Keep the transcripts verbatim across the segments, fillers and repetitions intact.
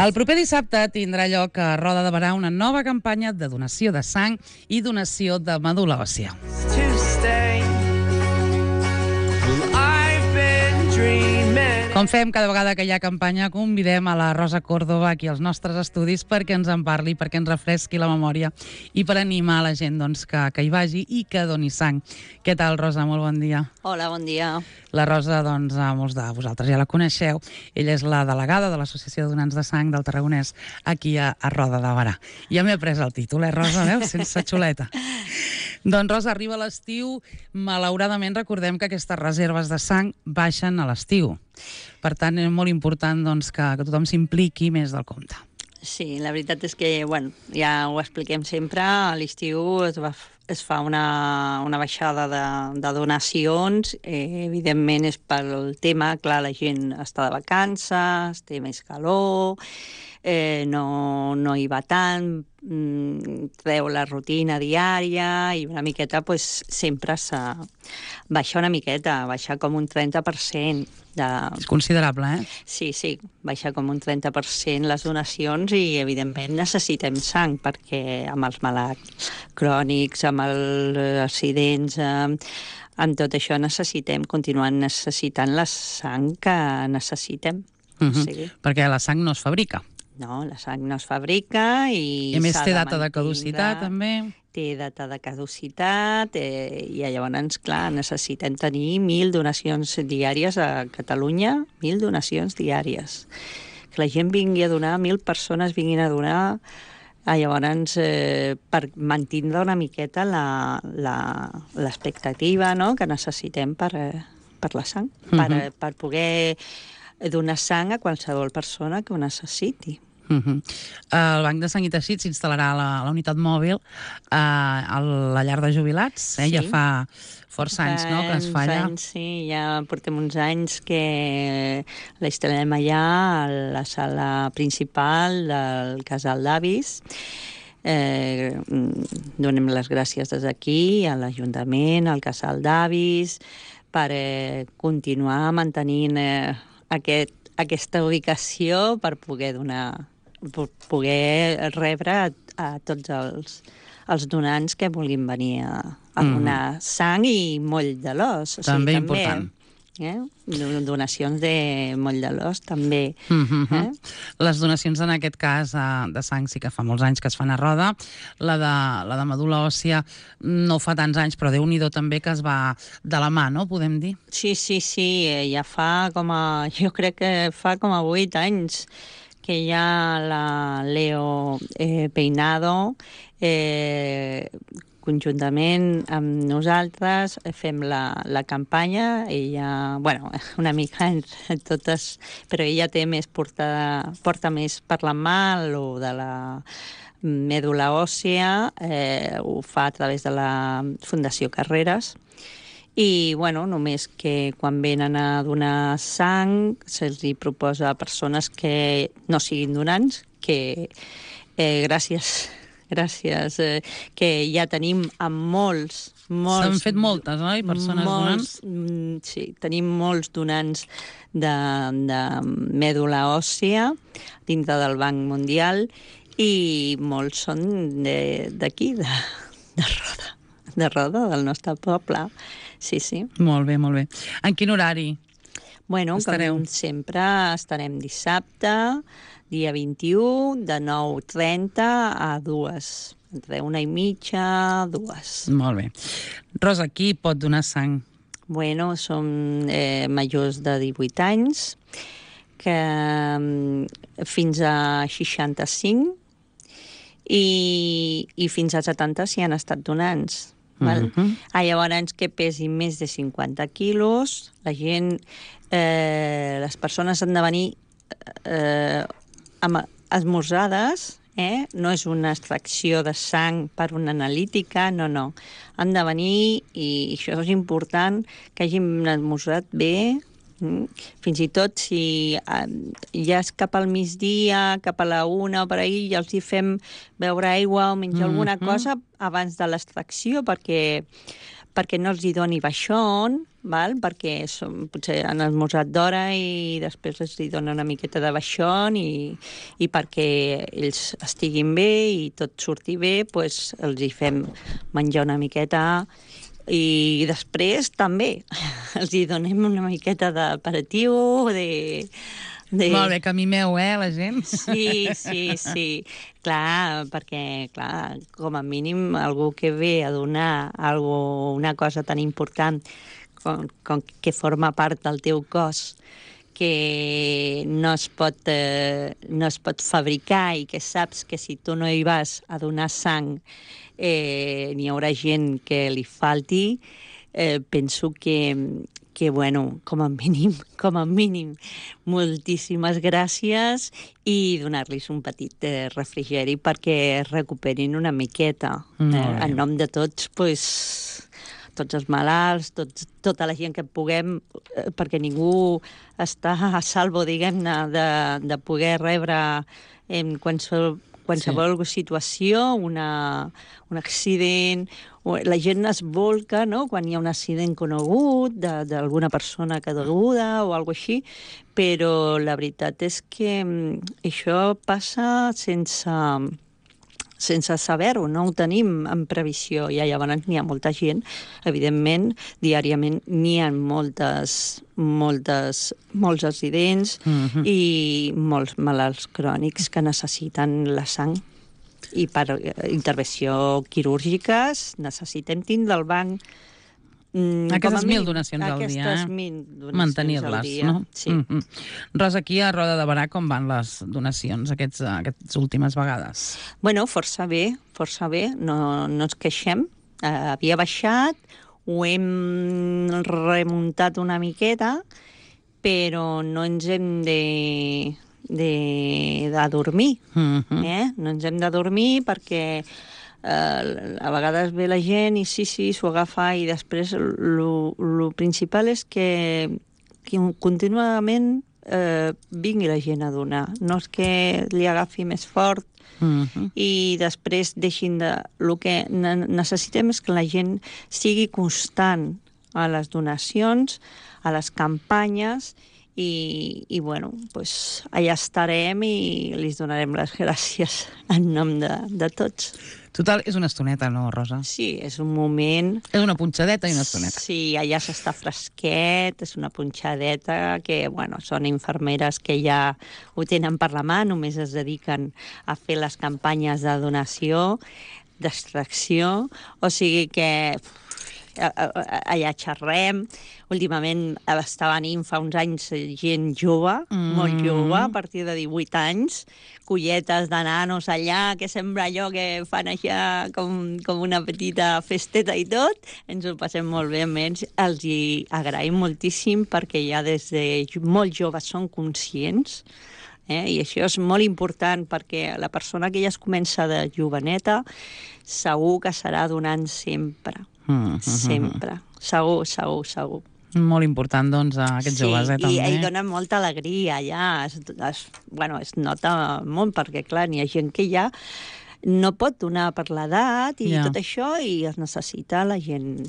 El proper dissabte tindrà lloc a Roda de Berà una nova campanya de donació de sang i donació de medul·la òssia. Com fem cada vegada que hi ha campanya, convidem a la Rosa Córdoba aquí als nostres estudis perquè ens en parli, perquè ens refresqui la memòria i per animar la gent doncs, que, que hi vagi i que doni sang. Què tal, Rosa? Molt bon dia. Hola, bon dia. La Rosa, doncs, a molts de vosaltres ja la coneixeu. Ella és la delegada de l'Associació de Donants de Sang del Tarragonès aquí a, a Roda de Berà. Ja m'he pres el títol, eh, Rosa? Veus? Sense xuleta. Doncs, Rosa, arriba l'estiu. Malauradament, recordem que aquestes reserves de sang baixen a l'estiu. Per tant, és molt important doncs, que, que tothom s'impliqui més del compte. Sí, la veritat és que, bueno, ja ho expliquem sempre, a l'estiu es, va, es fa una, una baixada de, de donacions, eh, evidentment és pel tema, clar, la gent està de vacances, té més calor, eh, no, no hi va tant, treu la rutina diària i una miqueta pues, sempre s'ha baixa una miqueta, baixa com un trenta per cent. De... És considerable, eh? Sí, sí, baixa com un trenta per cent les donacions i, evidentment, necessitem sang perquè amb els malalts crònics, amb els accidents, amb, amb tot això necessitem, continuem necessitant la sang que necessitem. Uh-huh. O sigui... Perquè la sang no es fabrica. No, la sang no es fabrica i... I a més té data de caducitat, també. Té data de caducitat eh, i llavors, clar, necessitem tenir mil donacions diàries a Catalunya, mil donacions diàries. Que la gent vingui a donar, mil persones vinguin a donar, eh, llavors, eh, per mantindre una miqueta l'expectativa, no?, que necessitem per, eh, per la sang, uh-huh. per, per poder donar sang a qualsevol persona que ho necessiti. Uh-huh. El Banc de Sang i Teixit s'instal·larà a la, a la unitat mòbil eh, a la llar de jubilats. Eh? Sí. Ja fa força anys, no?, que es fa allà. Anys, sí, ja portem uns anys que la instal·lem allà a la sala principal del casal d'avis. Eh, donem les gràcies des d'aquí a l'Ajuntament, al casal d'avis, per eh, continuar mantenint eh, aquest, aquesta ubicació per poder donar per poder rebre a, a tots els, els donants que vulguin venir a, a donar mm. sang i moll de l'os. O també sigui, important. Eh? Donacions de moll de l'os, també. Mm-hmm. Eh? Les donacions, en aquest cas, de sang sí que fa molts anys que es fan a Roda. La de, la de medul·la òssia no fa tants anys, però Déu-n'hi-do també que es va de la mà, no?, podem dir? Sí, sí, sí. Ja fa com a... Jo crec que fa com a vuit anys que hi ha la Leo eh, Peinado, eh, conjuntament amb nosaltres fem la, la campanya. Ella, bueno, una mica entre totes, però ella té més porta, porta més per la mà lo de la medul·la òssia, eh, ho fa a través de la Fundació Carreras. I, bueno, només que quan venen a donar sang se'ls proposa a persones que no siguin donants, que eh, gràcies, gràcies, eh, que ja tenim amb molts, molts... S'han fet moltes, oi, persones molts, donants? Sí, tenim molts donants de, de medul·la òssia dintre del Banc Mundial i molts són d'aquí, de, de, de Roda, de Roda, del nostre poble. Sí, sí. Molt bé, molt bé. En quin horari bueno, estareu? Com sempre, estarem dissabte, dia vint-i-u, de nou trenta a dues. Entre una i mitja, dues. Molt bé. Rosa, qui pot donar sang? Bueno, som eh, majors de divuit anys, que fins a seixanta-cinc i, i fins a setanta si han estat donants. Val? Uh-huh. Ah, llavors, que pesi més de cinquanta quilos, la gent, eh, les persones han de venir eh, amb esmorzades, eh? No és una extracció de sang per una analítica, no, no. Han de venir, i això és important, que hagin esmorzat bé, fins i tot si ja és cap al migdia, cap a la una o per ahir, ja els hi fem beure aigua o menjar mm-hmm. alguna cosa abans de l'extracció, perquè perquè no els hi doni baixón, val? Perquè som, potser han esmorzat d'hora i després els hi dona una miqueta de baixón i, i perquè ells estiguin bé i tot surti bé, pues, els hi fem menjar una miqueta i després també els hi donem una miqueta d'aperitiu, de... De... Molt bé, que mimeu, eh, la gent? Sí, sí, sí. Clar, perquè, clar, com a mínim algú que ve a donar algo, una cosa tan important com, com que forma part del teu cos, que no es pot, eh, no es pot fabricar i que saps que si tu no hi vas a donar sang eh, n'hi haurà gent que li falti, eh, penso que, que, bueno, com a mínim, com a mínim, moltíssimes gràcies i donar-los un petit eh, refrigeri perquè es recuperin una miqueta. Eh, en nom de tots, pues, tots els malalts, tots, tota la gent que puguem, eh, perquè ningú està a salvo, diguem-ne, de, de poder rebre en qualsevol qualsevol sí. situació, una, un accident, la gent es volca, no?, quan hi ha un accident conegut d'alguna persona caiguda o alguna així, però la veritat és que això passa sense, sense saber-ho, no ho tenim en previsió. I llavors n'hi ha molta gent, evidentment, diàriament n'hi ha moltes, moltes, molts accidents mm-hmm. i molts malalts crònics que necessiten la sang. I per intervenció quirúrgiques necessitem tindre el banc Mm, aquestes mil donacions al dia, aquestes mil donacions mantenir-les, dia. No? Sí. Mm-hmm. Rosa, aquí a Roda de Berà com van les donacions aquests, aquestes últimes vegades? Bueno, força bé, força bé, no, no ens queixem. Uh, havia baixat, ho hem remuntat una miqueta, però no ens hem de, de, de dormir, mm-hmm. eh? No ens hem de dormir perquè Uh, a vegades ve la gent i sí, sí, s'ho agafa i després el principal és que, que contínuament uh, vingui la gent a donar. No és que li agafi més fort uh-huh. i després deixin de... El que necessitem és que la gent sigui constant a les donacions, a les campanyes i, i bueno, pues allà estarem i li donarem les gràcies en nom de, de tots. Total, és una estoneta, no, Rosa? Sí, és un moment... És una punxadeta i una estoneta. Sí, allà s'està fresquet, és una punxadeta que, bueno, són infermeres que ja ho tenen per la mà, només es dediquen a fer les campanyes de donació, d'extracció, o sigui que allà xerrem. Últimament estava venint fa uns anys gent jove, mm. molt jove, a partir de divuit anys, colletes de nanos allà, que sembla allò que fan allà com, com una petita festeta i tot. Ens ho passem molt bé amb ells. Els hi agraïm moltíssim perquè ja des de molt joves són conscients. Eh? I això és molt important perquè la persona que ja es comença de joveneta segur que serà donant sempre. Mm, sempre. Mm, mm. Segur, segur, segur. Molt important, doncs, a aquests sí, joves, eh, també. Sí, i dona molta alegria, ja. Es, es, bueno, es nota molt, perquè, clar, n'hi ha gent que ja no pot donar per l'edat i ja. tot això, i es necessita la gent.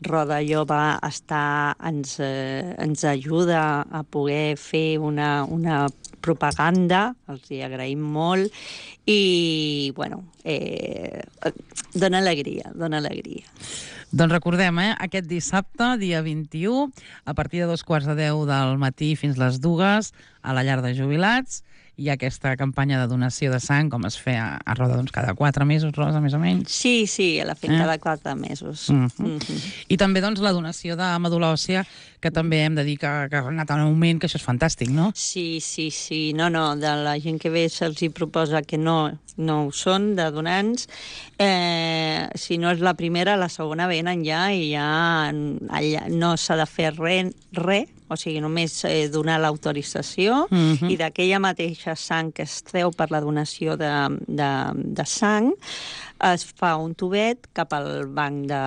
Roda Jove està, ens, eh, ens ajuda a poder fer una, una propaganda, els hi agraïm molt, i, bueno, eh, dona alegria, dona alegria. Doncs recordem, eh, aquest dissabte, dia vint-i-u, a partir de dos quarts de deu del matí fins les dues, a la llar de jubilats, hi ha aquesta campanya de donació de sang, com es feia a Roda, doncs, cada quatre mesos, Rosa, més o menys. Sí, sí, la fem eh? cada quatre mesos. Mm-hmm. Mm-hmm. I també, doncs, la donació de medul·la òssia, que també hem de dir que, que ha anat en augment, que això és fantàstic, no? Sí, sí, sí. No, no, de la gent que ve se'ls hi proposa que no, no ho són, de donants. Eh, si no és la primera, la segona venen ja i ja allà no s'ha de fer res, res, o sigui, només eh, donar l'autorització mm-hmm. i d'aquella mateixa sang que es treu per la donació de, de, de sang es fa un tubet cap al banc de,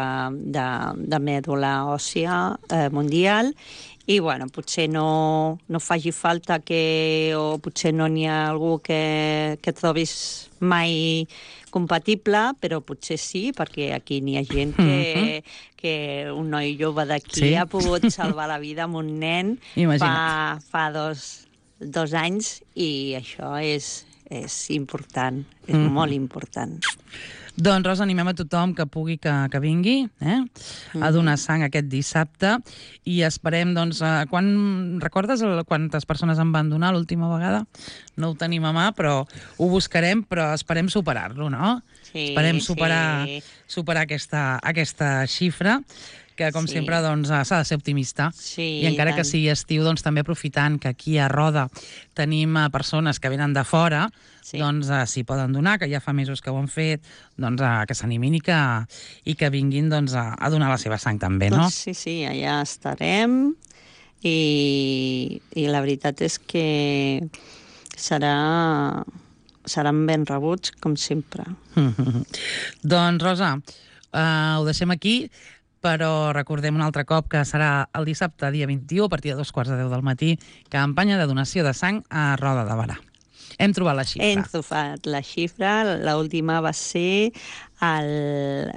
de, de mèdula òssia eh, mundial i, bueno, potser no, no faci falta que, o potser no n'hi ha algú que, que trobis mai compatible, però potser sí, perquè aquí n'hi ha gent que, que un noi jove d'aquí Sí. ha pogut salvar la vida amb un nen fa, Imagina't. fa dos, dos anys, i això és, és important, és mm. molt important. Doncs, Rosa, animem a tothom que pugui que, que vingui eh? a donar sang aquest dissabte i esperem, doncs, eh, quan, recordes el, quantes persones en van donar l'última vegada? No ho tenim a mà, però ho buscarem, però esperem superar-lo, no? Sí, esperem superar, sí. superar aquesta, aquesta xifra, que, com Sí. sempre, doncs, s'ha de ser optimista. Sí, I encara tant. que sigui estiu, doncs, també aprofitant que aquí a Roda tenim eh, persones que venen de fora, Sí. doncs eh, s'hi poden donar, que ja fa mesos que ho han fet, doncs eh, que s'animin i, que, i que vinguin doncs, a, a donar la seva sang també, no? Doncs sí, sí, allà estarem i, i la veritat és que serà, seran ben rebuts, com sempre. Doncs, Rosa, eh, ho deixem aquí, però recordem un altre cop que serà el dissabte, dia vint-i-u, a partir de dos quarts de deu del matí, campanya de donació de sang a Roda de Barà. Hem trobat la xifra. Hem trobat la xifra, l'última va ser el...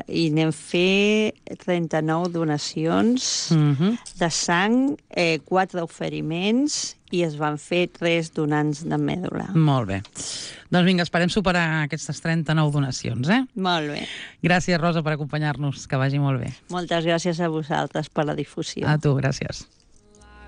i n'hem fet trenta-nou donacions Mhm. de sang, eh, quatre oferiments, i es van fer tres donants de mèdula. Molt bé. Doncs vinga, esperem superar aquestes trenta-nou donacions, eh? Molt bé. Gràcies, Rosa, per acompanyar-nos. Que vagi molt bé. Moltes gràcies a vosaltres per la difusió. A tu, gràcies.